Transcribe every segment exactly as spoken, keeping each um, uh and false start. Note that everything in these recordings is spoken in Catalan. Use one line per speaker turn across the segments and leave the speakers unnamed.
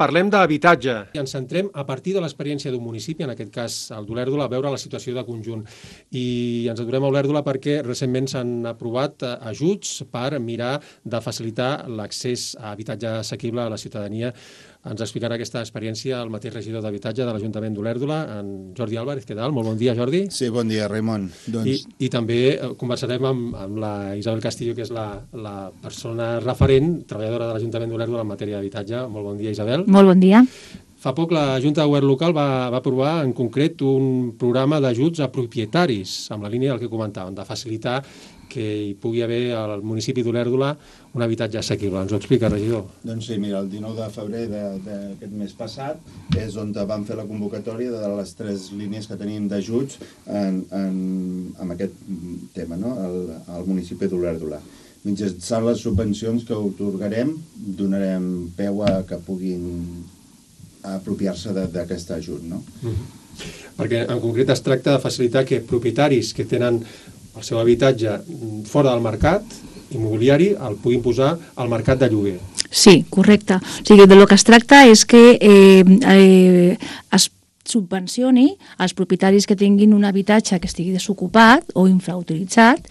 Parlem d'habitatge i ens centrem a partir de l'experiència d'un municipi, en aquest cas el d'Olèrdola, a veure la situació de conjunt. I ens aturem a Olèrdola perquè recentment s'han aprovat ajuts per mirar de facilitar l'accés a habitatge assequible a la ciutadania. Ens explicarà aquesta experiència el mateix regidor d'Habitatge de l'Ajuntament d'Olèrdola, en Jordi Álvarez. Què tal? Molt bon dia, Jordi.
Sí, bon dia, Raimon. Doncs...
I, I també conversarem amb, amb la Isabel Castillo, que és la, la persona referent, treballadora de l'Ajuntament d'Olèrdola en matèria d'habitatge. Molt bon dia, Isabel.
Molt bon dia.
Fa poc la Junta de Govern Local va, va aprovar en concret un programa d'ajuts a propietaris, amb la línia del que comentàvem, de facilitar que hi pugui haver al municipi d'Olèrdola un habitatge assequible. Ens ho explica, regidor?
Doncs sí, mira, el dinou de febrer d'aquest mes passat és on vam fer la convocatòria de les tres línies que tenim d'ajuts en, en, en aquest tema, no? al, al municipi d'Olèrdola. Mitjançant les subvencions que otorgarem, donarem peu a que puguin apropiar-se d'aquest ajut, no?
Mm-hmm. Perquè en concret es tracta de facilitar que propietaris que tenen el seu habitatge fora del mercat immobiliari el puguin posar al mercat de lloguer.
Sí, correcte. O sigui, de lo que es tracta és que eh, eh, es subvencioni als propietaris que tinguin un habitatge que estigui desocupat o infrautilitzat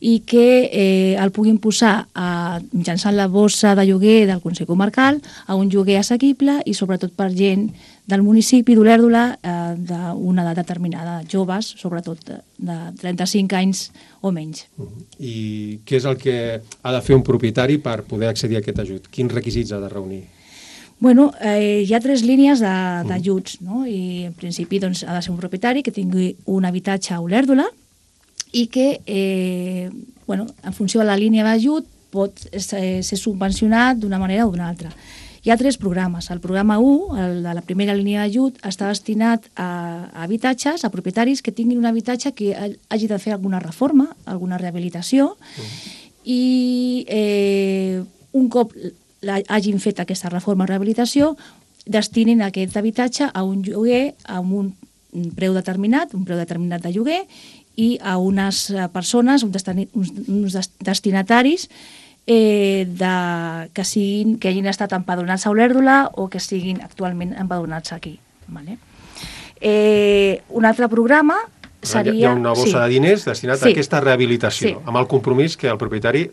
i que eh, el puguin posar a, mitjançant la bossa de lloguer del Consell Comarcal a un lloguer assequible i sobretot per gent del municipi d'Olèrdola eh, d'una edat determinada, joves, sobretot de, de trenta-cinc anys o menys.
Uh-huh. I què és el que ha de fer un propietari per poder accedir a aquest ajut? Quins requisits ha de reunir?
Bueno, eh, hi ha tres línies d'ajuts, no? I en principi doncs, ha de ser un propietari que tingui un habitatge a Olèrdola i que, eh, bueno, en funció de la línia d'ajut, pot ser subvencionat d'una manera o d'una altra. Hi ha tres programes. El programa u, el de la primera línia d'ajut, està destinat a habitatges, a propietaris que tinguin un habitatge que hagi de fer alguna reforma, alguna rehabilitació, uh-huh. i eh, un cop hagin fet aquesta reforma o rehabilitació, destinin aquest habitatge a un lloguer amb un preu determinat, un preu determinat de lloguer, i a unes persones, uns destinataris eh, de, que, siguin, que hagin estat empadronats a Olèrdola o que siguin actualment empadronats aquí. Vale? Eh, un altre programa seria...
Hi ha una bossa sí. de diners destinat sí. a aquesta rehabilitació, sí. amb el compromís que el propietari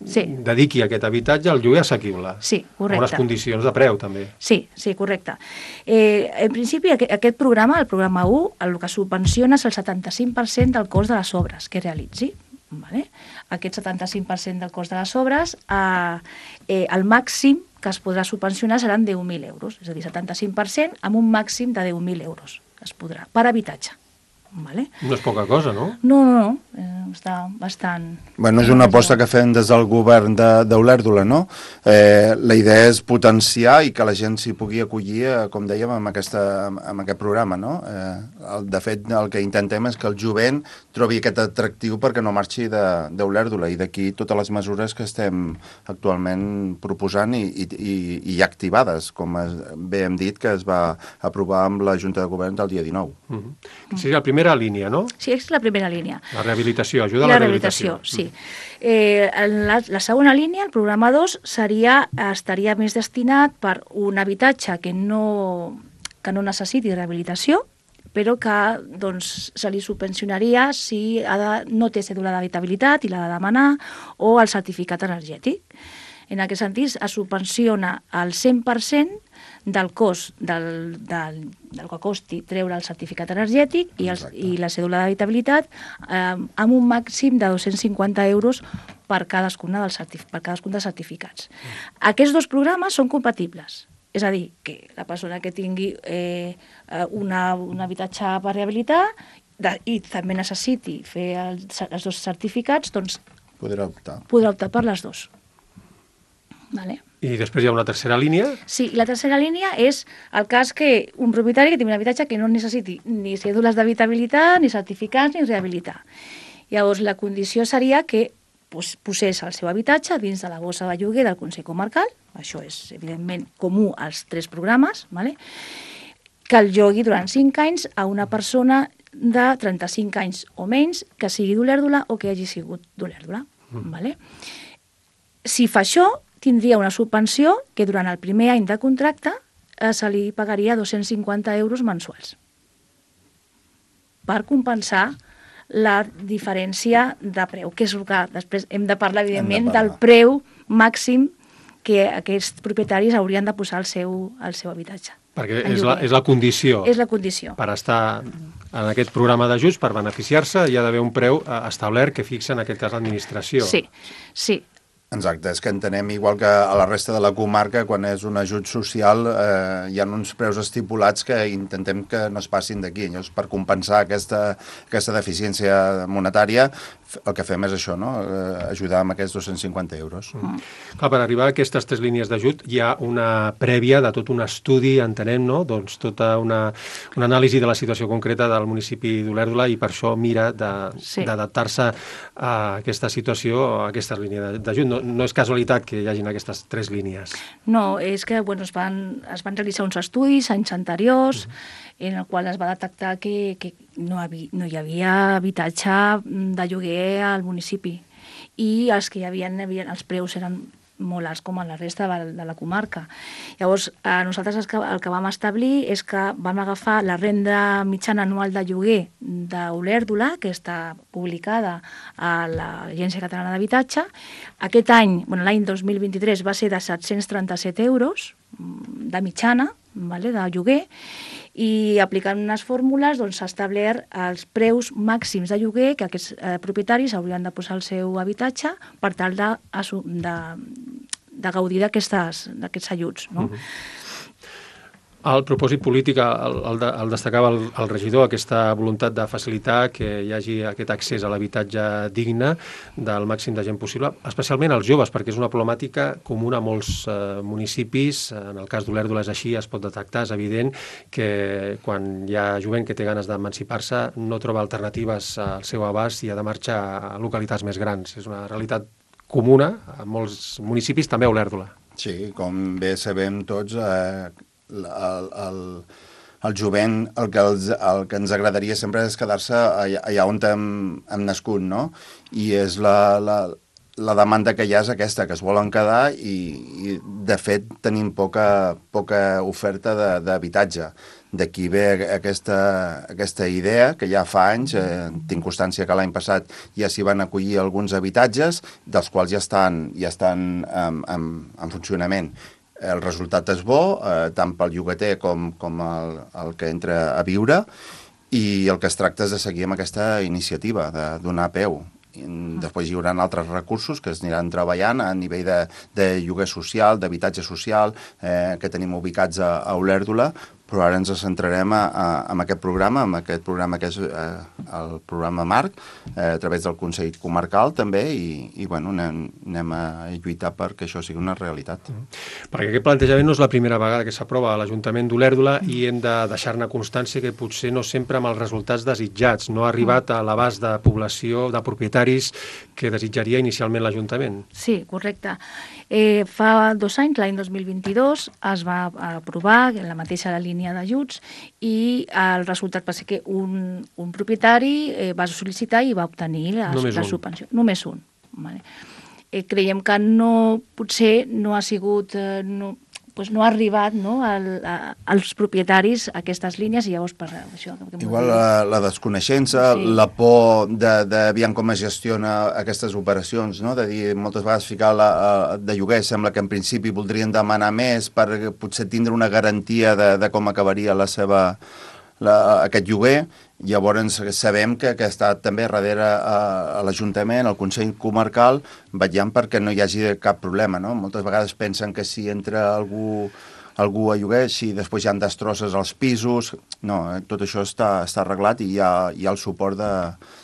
sí. dediqui aquest habitatge al lloguer assequible.
Sí, correcte.
Amb unes condicions de preu, també.
Sí, sí, correcte. Eh, en principi, aquest, aquest programa, el programa u, el que subvenciona és el setanta-cinc per cent del cost de les obres que realitzi. Vale? Aquest setanta-cinc per cent del cost de les obres, eh, eh, el màxim que es podrà subvencionar seran deu mil euros, és a dir, setanta-cinc per cent amb un màxim de deu mil euros es podrà, per habitatge. Vale?
No és poca cosa, no?
No, no, no, eh, està bastant...
Bueno, és una aposta que fem des del govern d'Olèrdola, no? Eh, la idea és potenciar i que la gent s'hi pugui acollir, eh, com dèiem, amb, aquesta, amb aquest programa, no? Eh, el, de fet, el que intentem és que el jovent trobi aquest atractiu perquè no marxi d'Olèrdola, i d'aquí totes les mesures que estem actualment proposant i, i, i, i activades, com es, bé hem dit, que es va aprovar amb la Junta de Govern del dia dinou.
Mm-hmm. Seria el primer primera línia, no?
Sí, és la primera línia.
La rehabilitació, ajuda a la,
la rehabilitació. rehabilitació, sí. Eh, la, la segona línia, el programa dos, seria, estaria més destinat per un habitatge que no, que no necessiti rehabilitació, però que doncs, se li subvencionaria si ha de, no té cèdula d'habitabilitat i l'ha de demanar, o el certificat energètic. En aquest sentit, es subvenciona el cent per cent del cost del, del, del que costi treure el certificat energètic i, els, i la cèdula d'habitabilitat eh, amb un màxim de dos-cents cinquanta euros per cadascuna dels, certif per cadascun dels certificats. Mm. Aquests dos programes són compatibles. És a dir, que la persona que tingui eh, una, un habitatge per rehabilitar de, i també necessiti fer els, els dos certificats, doncs
podrà optar.
podrà optar per les dues. Vale.
I després hi ha una tercera línia?
Sí, la tercera línia és el cas que un propietari que tingui un habitatge que no necessiti ni cèdules d'habitabilitat, ni certificats, ni rehabilitar. Llavors, la condició seria que pues, posés el seu habitatge dins de la bossa de lloguer del Consell Comarcal, això és, evidentment, comú als tres programes, vale? Que el llogui durant cinc anys a una persona de trenta-cinc anys o menys que sigui d'Olèrdola o que hagi sigut d'Olèrdola. Mm. Vale? Si fa això, tindria una subvenció que durant el primer any de contracte eh, se li pagaria dos-cents cinquanta euros mensuals per compensar la diferència de preu, que és el que després hem de parlar, evidentment,
de parlar.
del preu màxim que aquests propietaris haurien de posar al seu, al seu habitatge.
Perquè és la, és la condició.
És la condició.
Per estar en aquest programa d'ajuts, per beneficiar-se, hi ha d'haver un preu establert que fixa, en aquest cas, l'administració.
Sí, sí.
Exacte, és que entenem, igual que a la resta de la comarca, quan és un ajut social, eh, hi ha uns preus estipulats que intentem que no es passin d'aquí. Llavors, per compensar aquesta, aquesta deficiència monetària, el que fem és això, no? Eh, ajudar amb aquests dos-cents cinquanta euros.
Mm. Clar, per arribar a aquestes tres línies d'ajut hi ha una prèvia de tot un estudi, entenem, no? Doncs tota una, una anàlisi de la situació concreta del municipi d'Olèrdola i per això mira d'adaptar-se sí. a aquesta situació, a aquesta línia d'ajut. No, no és casualitat que hi hagin aquestes tres línies.
No, és que bueno, es, van, es van realitzar uns estudis anys anteriors mm. en el qual es va detectar que, que no, havia, no hi havia habitatge de lloguer al municipi i els que hi havia, havia els preus eren molt alts com a la resta de, de la comarca. Llavors, eh, nosaltres el que, el que vam establir és que vam agafar la renda mitjana anual de lloguer d'Olèrdola, que està publicada a l'Agència Catalana d'Habitatge. Aquest any, bueno, l'any dos mil vint-i-tres, va ser de set-cents trenta-set euros de mitjana, vale, de lloguer, i aplicant unes fórmules doncs, s'ha establert els preus màxims de lloguer que aquests eh, propietaris haurien de posar al seu habitatge per tal de, de, de gaudir d'aquests ajuts. No? Uh-huh.
El propòsit polític el, el, el destacava el, el regidor, aquesta voluntat de facilitar que hi hagi aquest accés a l'habitatge digne del màxim de gent possible, especialment als joves, perquè és una problemàtica comuna a molts eh, municipis. En el cas d'Olèrdola és així, es pot detectar, és evident que quan hi ha jovent que té ganes d'emancipar-se no troba alternatives al seu abast i ha de marxar a localitats més grans. És una realitat comuna a molts municipis, també a Olèrdola.
Sí, com bé sabem tots, eh, El, el, el jovent, el que, els, el que ens agradaria sempre és quedar-se allà, allà on hem, hem nascut, no? I és la, la, la demanda que hi ha és aquesta, que es volen quedar i, i de fet, tenim poca, poca oferta d'habitatge. D'aquí ve aquesta, aquesta idea, que ja fa anys, eh, tinc constància que l'any passat ja s'hi van acollir alguns habitatges, dels quals ja estan, ja estan en, en, en funcionament. El resultat és bo, eh, tant pel llogater com, com el, el que entra a viure, i el que es tracta és de seguir amb aquesta iniciativa, de donar peu. I després hi haurà altres recursos que es aniran treballant a nivell de, de lloguer social, d'habitatge social, eh, que tenim ubicats a, a Olèrdola, però ara ens centrarem a, a, en aquest programa, en aquest programa que és eh, el programa Marc, eh, a través del Consell Comarcal també, i, i bueno, anem, anem a lluitar perquè això sigui una realitat.
Mm. Perquè aquest plantejament no és la primera vegada que s'aprova a l'Ajuntament d'Olèrdola mm. i hem de deixar-ne constància que potser no sempre amb els resultats desitjats, no ha arribat a l'abast de població, de propietaris que desitjaria inicialment l'Ajuntament.
Sí, correcte. Eh, fa dos anys, l'any dos mil vint-i-dos, es va aprovar la mateixa línia d'ajuts i el resultat va ser que un, un propietari eh, va sol·licitar i va obtenir la, la subvenció. Només un. Vale. Eh, creiem que no, potser no ha sigut... Eh, no, pues no ha arribat no, al, a, als propietaris aquestes línies i llavors per això... Que
Igual la, la desconeixença, sí. La por de, de aviam com es gestiona aquestes operacions, no? De dir, moltes vegades ficar la, de lloguer sembla que en principi voldrien demanar més per potser tindre una garantia de, de com acabaria la seva, la, aquest lloguer. Llavors sabem que, que està també darrere a, a l'Ajuntament, al Consell Comarcal, vetllant perquè no hi hagi cap problema, no? Moltes vegades pensen que si entra algú, algú a lloguer, si després hi ha destrosses als pisos... No, tot això està, està arreglat i hi ha, hi ha el suport de,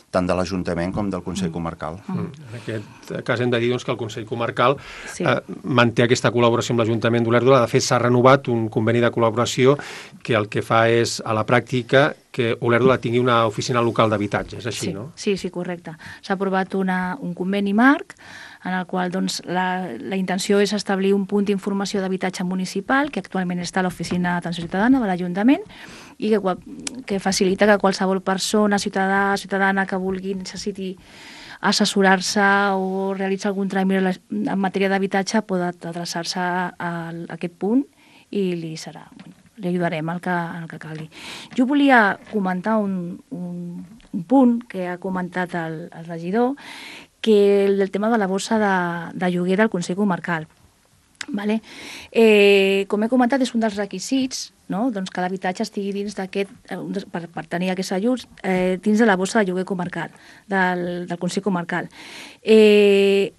tant de l'Ajuntament com del Consell Comarcal.
Mm. En aquest cas hem de dir doncs, que el Consell Comarcal
sí.
eh, manté aquesta col·laboració amb l'Ajuntament d'Olèrdola. De fet, s'ha renovat un conveni de col·laboració que el que fa és, a la pràctica, que Olèrdola tingui una oficina local d'habitatge. És així,
sí,
no?
Sí, sí, correcte. S'ha aprovat una, un conveni marc en el qual doncs, la, la intenció és establir un punt d'informació d'habitatge municipal que actualment està a l'Oficina d'Atenció Ciutadana de l'Ajuntament i que, que facilita que qualsevol persona, ciutadà, ciutadana que vulgui, necessiti assessorar-se o realitzar algun tràmit en matèria d'habitatge pot adreçar-se a, a aquest punt i li serà li ajudarem el que, el que calgui. Jo volia comentar un, un, un punt que ha comentat el, el regidor, que el, el tema de la bossa de, de lloguer del Consell Comarcal. Vale? Eh, com he comentat, és un dels requisits, no? Doncs que l'habitatge estigui dins d'aquest, per, per tenir aquests ajuts, eh, dins de la bossa de lloguer comarcal, del, del Consell Comarcal. Eh,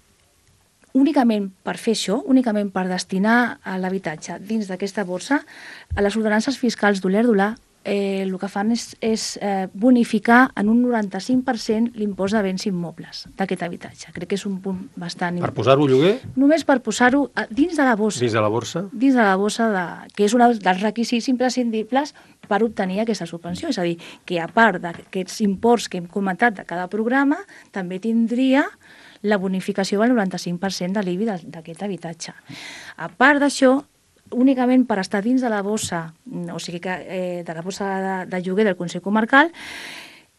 únicament per fer això, únicament per destinar l'habitatge dins d'aquesta borsa, a les ordenances fiscals d'Olèrdola eh, el que fan és, és eh, bonificar en un noranta-cinc per cent l'impost de béns immobles d'aquest habitatge. Crec que és un punt bastant...
Per posar-ho lloguer?
Només per posar-ho dins de la bossa.
Dins de la borsa? Dins
de la bossa, de, que és un dels requisits imprescindibles per obtenir aquesta subvenció. És a dir, que a part d'aquests imports que hem comentat de cada programa, també tindria la bonificació del noranta-cinc per cent de l'I B I d'aquest habitatge. A part d'això, únicament per estar dins de la bossa, o sigui que eh, de la bossa de, de lloguer del Consell Comarcal,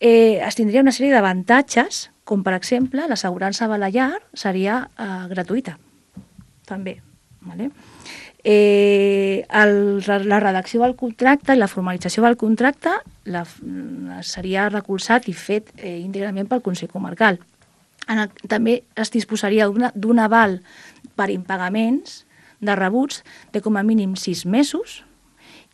eh, es tindria una sèrie d'avantatges, com per exemple l'assegurança Balear seria eh, gratuïta, també. Vale? Eh, el, la redacció del contracte i la formalització del contracte la, seria recolzat i fet eh, íntegrament pel Consell Comarcal. En el, també es disposaria d'un aval per impagaments de rebuts de com a mínim sis mesos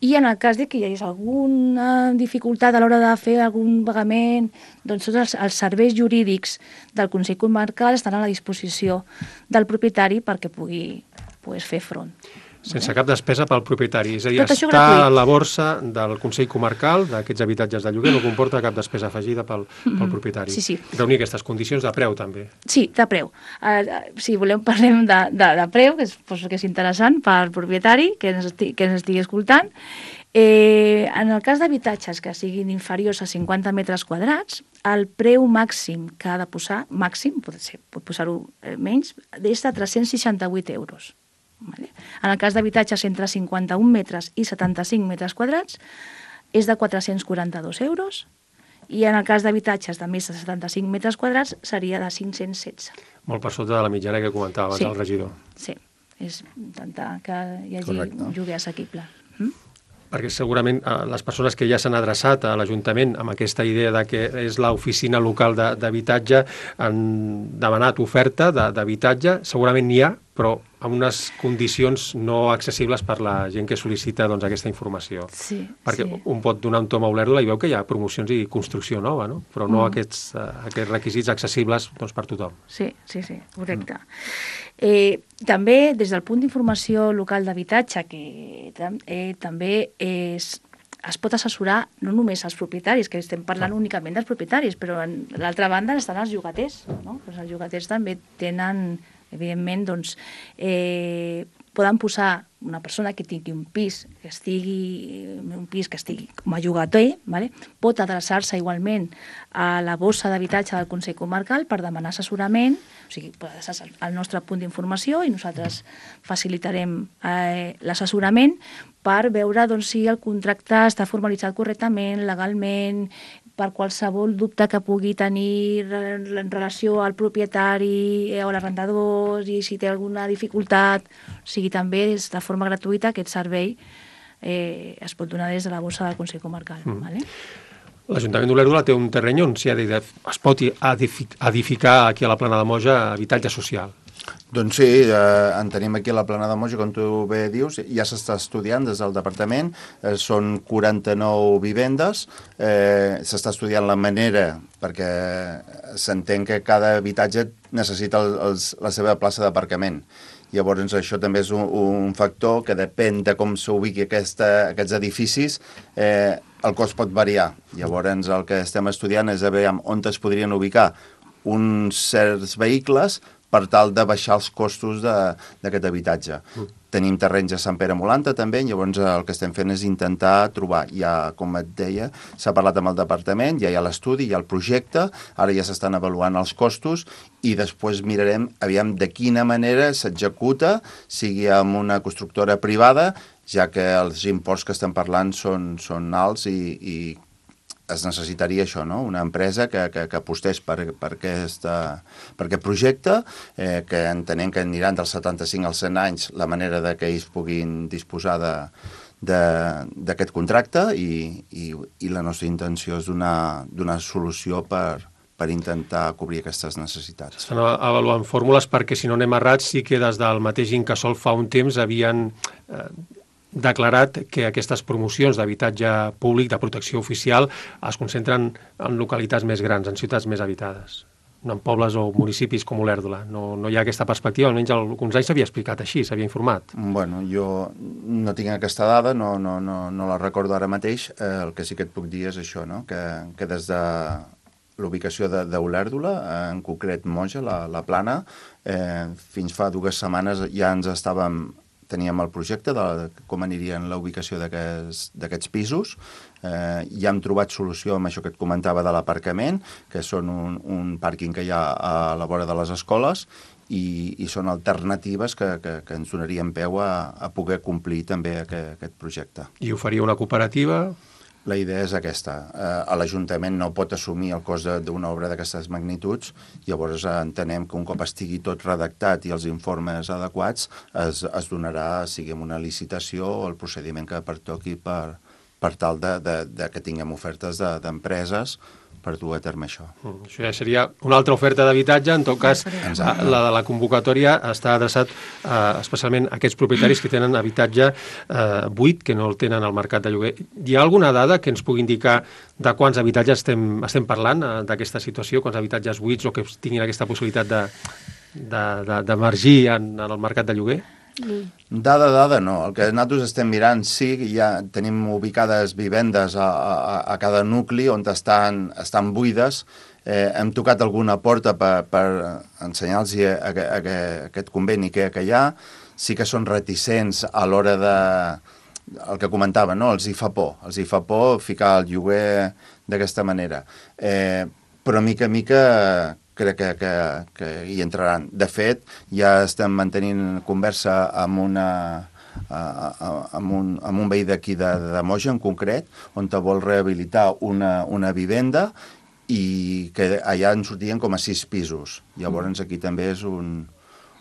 i en el cas de que hi hagués alguna dificultat a l'hora de fer algun pagament, doncs tots els, els serveis jurídics del Consell Comarcal estan a la disposició del propietari perquè pugui pues, fer front.
Sense cap despesa pel propietari. És a dir,
està
a la borsa del Consell Comarcal d'aquests habitatges de lloguer no comporta cap despesa afegida pel, pel propietari.
Sí, sí.
Reunir aquestes condicions de preu, també.
Sí, de preu. Uh, si volem parlem de, de, de preu, que és, pues, que és interessant pel propietari que ens estigui, que ens estigui escoltant. Eh, en el cas d'habitatges que siguin inferiors a cinquanta metres quadrats, el preu màxim que ha de posar, màxim, pot, ser, pot posar-ho menys, és de tres-cents seixanta-vuit euros. Vale. En el cas d'habitatges entre cinquanta-un metres i setanta-cinc metres quadrats és de quatre-cents quaranta-dos euros i en el cas d'habitatges de més de setanta-cinc metres quadrats seria de cinc-cents setze.
Molt per sota de la mitjana que comentava abans
sí.
el regidor.
Sí, és intentar que hi hagi
Correcte.
un lloguer assequible. Mm?
Perquè segurament eh, les persones que ja s'han adreçat a l'Ajuntament amb aquesta idea de que és l'oficina local d'habitatge han demanat oferta d'habitatge, segurament n'hi ha, però amb unes condicions no accessibles per la gent que sol·licita doncs, aquesta informació.
Sí,
perquè
sí.
un pot donar un tom a Olèrdola i veu que hi ha promocions i construcció nova, no? Però no
Mm.
aquests, uh, aquests requisits accessibles doncs, per tothom.
Sí, sí, sí, correcte. Eh, també, des del punt d'informació local d'habitatge, que eh, també és, es pot assessorar no només als propietaris, que estem parlant únicament dels propietaris, però en l'altra banda estan els llogaters. No? Pues els llogaters també tenen, evidentment, doncs, eh, poden posar una persona que tingui un pis que estigui, un pis que estigui com a llogater, vale? Pot adreçar-se igualment a la bossa d'habitatge del Consell Comarcal per demanar assessorament, o sigui, pot adreçar-se al nostre punt d'informació i nosaltres facilitarem eh, l'assessorament per veure doncs, si el contracte està formalitzat correctament, legalment, per qualsevol dubte que pugui tenir en relació al propietari o a l'arrendador, i si té alguna dificultat, o sigui, també és de forma gratuïta aquest servei eh, es pot donar des de la bossa del Consell Comarcal. Mm. Vale?
L'Ajuntament d'Olèrdola té un terreny on es pot edificar aquí a la Plana de Moja habitatge social.
Doncs sí, eh, en tenim aquí a la Plana de Moja, com tu bé dius, ja s'està estudiant des del departament, eh, són quaranta-nou vivendes, eh, s'està estudiant la manera, perquè s'entén que cada habitatge necessita el, els, la seva plaça d'aparcament. Llavors, això també és un, un factor que depèn de com s'ubiqui aquesta, aquests edificis, eh, el cost pot variar. Llavors, el que estem estudiant és a veure on es podrien ubicar uns certs vehicles per tal de baixar els costos d'aquest habitatge. Mm. Tenim terrenys a Sant Pere Molanta també, llavors el que estem fent és intentar trobar, ja com et deia, s'ha parlat amb el departament, ja hi ha l'estudi, hi ha el projecte, ara ja s'estan avaluant els costos i després mirarem aviam de quina manera s'executa, sigui amb una constructora privada, ja que els imports que estem parlant són, són alts i, i es necessitaria això, no? Una empresa que, que, que apostés per, per, aquesta, per aquest projecte, eh, que entenem que aniran dels setanta-cinc als cent anys la manera de que ells puguin disposar d'aquest contracte i, i, i la nostra intenció és donar, donar solució per, per intentar cobrir aquestes necessitats.
Estan avaluant fórmules perquè, si no anem errats, sí que des del mateix Incasòl fa un temps havien eh, declarat que aquestes promocions d'habitatge públic, de protecció oficial, es concentren en localitats més grans, en ciutats més habitades, no en pobles o municipis com Olèrdola. No, no hi ha aquesta perspectiva, almenys alguns anys s'havia explicat així, s'havia informat.
Bueno, jo no tinc aquesta dada, no, no, no, no la recordo ara mateix. Eh, el que sí que et puc dir és això, no? que, que des de l'ubicació d'Olèrdola, eh, en concret Moja, la, la Plana, eh, fins fa dues setmanes ja ens estàvem teníem el projecte de com anirien la ubicació d'aquests pisos. Eh, ja hem trobat solució amb això que et comentava de l'aparcament, que són un, un pàrquing que hi ha a la vora de les escoles i, i són alternatives que, que, que ens donarien peu a, a poder complir també aquest, aquest projecte.
I ho faria una cooperativa?
La idea és aquesta. Eh, L'Ajuntament no pot assumir el cost d'una obra d'aquestes magnituds, llavors entenem que un cop estigui tot redactat i els informes adequats es, es donarà, sigui amb una licitació o el procediment que pertoqui per, per tal de, de, de que tinguem ofertes d'empreses de, per dur a terme això.
Mm, això ja seria una altra oferta d'habitatge, en tot cas
Exacte.
La de la convocatòria està adreçat eh, especialment a aquests propietaris que tenen habitatge eh, buit, que no el tenen al mercat de lloguer. Hi ha alguna dada que ens pugui indicar de quants habitatges estem, estem parlant eh, d'aquesta situació, quants habitatges buits o que tinguin aquesta possibilitat de, de, de, d'emergir en, en el mercat de lloguer?
Dada, dada, no. El que nosaltres estem mirant, sí, ja tenim ubicades vivendes a, a, a cada nucli on estan, estan buides. Eh, hem tocat alguna porta per, per ensenyar-los a, a, a, a aquest conveni que, que hi ha. Sí que són reticents a l'hora de... el que comentava, no? Els hi fa por. Els hi fa por ficar el lloguer d'aquesta manera. Eh, però mica a mica... crec que, que, que hi entraran. De fet, ja estem mantenint conversa amb, una, amb, un, amb un veí d'aquí de, de Moja, en concret, on te vol rehabilitar una, una vivenda i que allà en sortien com a sis pisos. Llavors aquí també és un,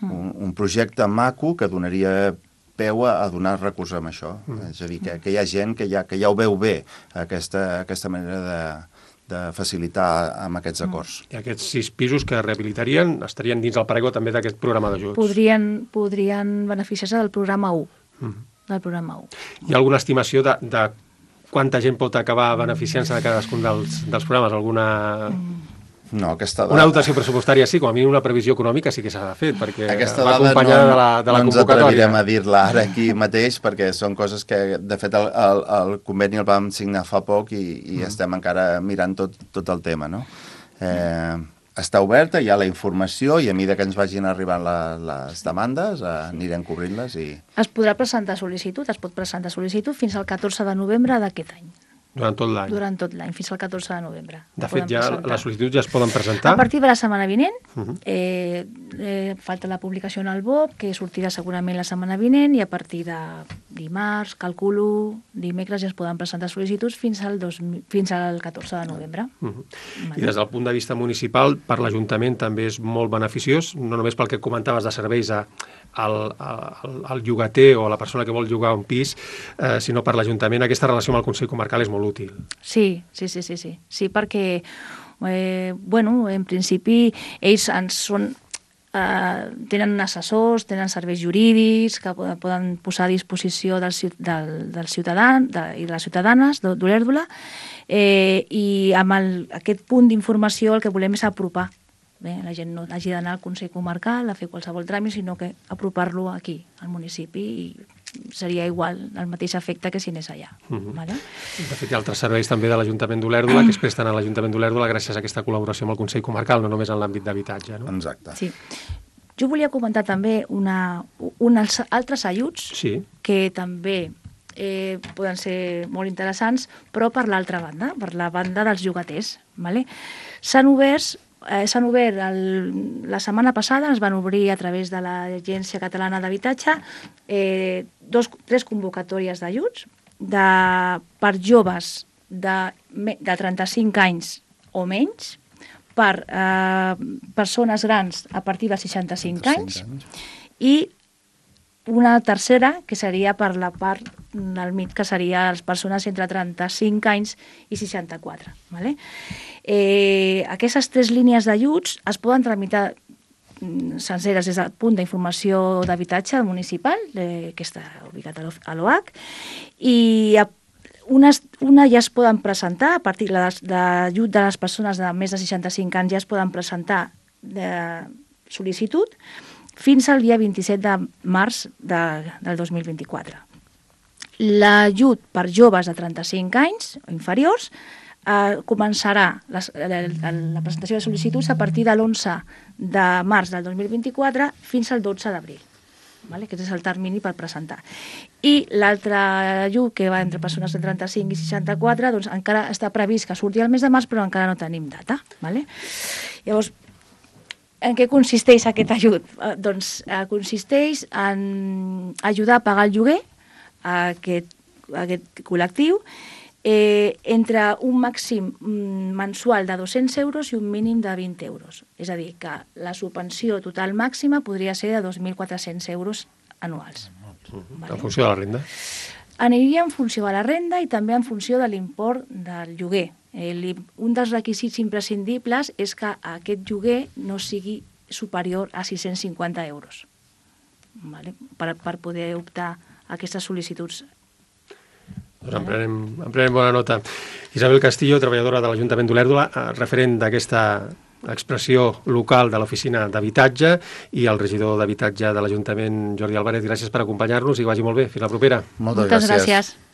un, un projecte maco que donaria peu a donar recursos amb això. Mm. És a dir, que, que hi ha gent que ja, que ja ho veu bé, aquesta, aquesta manera de de facilitar amb aquests acords.
I aquests sis pisos que rehabilitarien estarien dins el paraigua també d'aquest programa d'ajuts?
Podrien, podrien beneficiar-se del programa u. Mm. Del programa u.
Hi ha alguna estimació de, de quanta gent pot acabar beneficiant-se de cadascun dels, dels programes? Alguna... Mm.
No, aquesta dada...
Una dotació pressupostària sí, com a mínim una previsió econòmica sí que s'ha de fer, perquè
aquesta
va acompanyada
no,
de la, de la
no
convocatòria.
No ens atrevirem a dir-la ara aquí mateix, perquè són coses que, de fet, el, el, el conveni el vam signar fa poc i, i mm. estem encara mirant tot, tot el tema, no? Eh, està oberta, hi ha la informació i a mesura que ens vagin arribant la, les demandes eh, anirem cobrint-les i...
Es podrà presentar sol·licitud, es pot presentar sol·licitud fins al catorze de novembre d'aquest any.
Durant tot l'any?
Durant tot l'any, fins al catorze de novembre.
De fet, ja presentar. Les sol·licituds ja es poden presentar?
A partir de la setmana vinent, uh -huh. eh, eh, falta la publicació en el B O P, que sortirà segurament la setmana vinent, i a partir de dimarts, calculo, dimecres ja es poden presentar sol·licituds fins al, dos, fins al catorze de novembre.
Uh -huh. vale. I des del punt de vista municipal, per l'Ajuntament també és molt beneficiós, no només pel que comentaves de serveis a, al, al, al llogater o a la persona que vol llogar un pis, eh, sinó per l'Ajuntament aquesta relació amb el Consell Comarcal és molt útil.
Sí, sí, sí, sí, sí, sí perquè, eh, bueno, en principi ells ens són, eh, tenen assessors, tenen serveis jurídics que poden posar a disposició del, del, del ciutadà de, i de les ciutadanes d'Olèrdola, eh, i amb el, aquest punt d'informació el que volem és apropar. Bé, la gent no hagi d'anar al Consell Comarcal a fer qualsevol tràmit, sinó que apropar-lo aquí, al municipi, i seria igual, el mateix efecte que si anés allà. Uh-huh. Vale?
De fet, hi ha altres serveis també de l'Ajuntament d'Olèrdola que es presten a l'Ajuntament d'Olèrdola gràcies a aquesta col·laboració amb el Consell Comarcal, no només en l'àmbit d'habitatge. No?
Exacte.
Sí. Jo volia comentar també una, uns altres ajuts
sí.
que també eh, poden ser molt interessants, però per l'altra banda, per la banda dels llogaters. Vale? S'han obert Eh, s'han obert el, la setmana passada, es van obrir a través de l'Agència Catalana d'Habitatge eh, dos, tres convocatòries d'ajuts de, per joves de, de trenta-cinc anys o menys, per eh, persones grans a partir de seixanta-cinc anys i una tercera, que seria per la part del mig, que seria les persones entre trenta-cinc anys i seixanta-quatre. Vale? Eh, aquestes tres línies d'ajuts es poden tramitar senceres des del punt d'informació d'habitatge municipal, eh, que està ubicat a l'O H, i a Unes, una ja es poden presentar, a partir de l'ajut de les persones de més de seixanta-cinc anys ja es poden presentar de sol·licitud fins al dia vint-i-set de març de, del dos mil vint-i-quatre. L'ajut per joves de trenta-cinc anys o inferiors eh, començarà les, la, la presentació de sol·licituds a partir de l'onze de març del dos mil vint-i-quatre fins al dotze d'abril. Vale? Aquest és el termini per presentar. I l'altre ajut, que va entre persones de trenta-cinc i seixanta-quatre, doncs encara està previst que surti el mes de març, però encara no tenim data. Vale? Llavors, en què consisteix aquest ajut? Eh, doncs eh, consisteix en ajudar a pagar el lloguer a aquest, a aquest col·lectiu eh, entre un màxim mensual de dos-cents euros i un mínim de vint euros. És a dir, que la subvenció total màxima podria ser de dos mil quatre-cents euros anuals.
Uh-huh. Vale? En funció de la renda?
Aniria en funció de la renda i també en funció de l'import del lloguer. El, un dels requisits imprescindibles és que aquest lloguer no sigui superior a sis-cents cinquanta euros, vale? per, per poder optar a aquestes sol·licituds.
Doncs en prenem, en prenem bona nota. Isabel Castillo, treballadora de l'Ajuntament d'Olèrdola, referent d'aquesta expressió local de l'Oficina d'Habitatge, i el regidor d'Habitatge de l'Ajuntament, Jordi Álvarez, gràcies per acompanyar-nos i que vagi molt bé. Fins la propera.
Moltes,
Moltes gràcies. gràcies.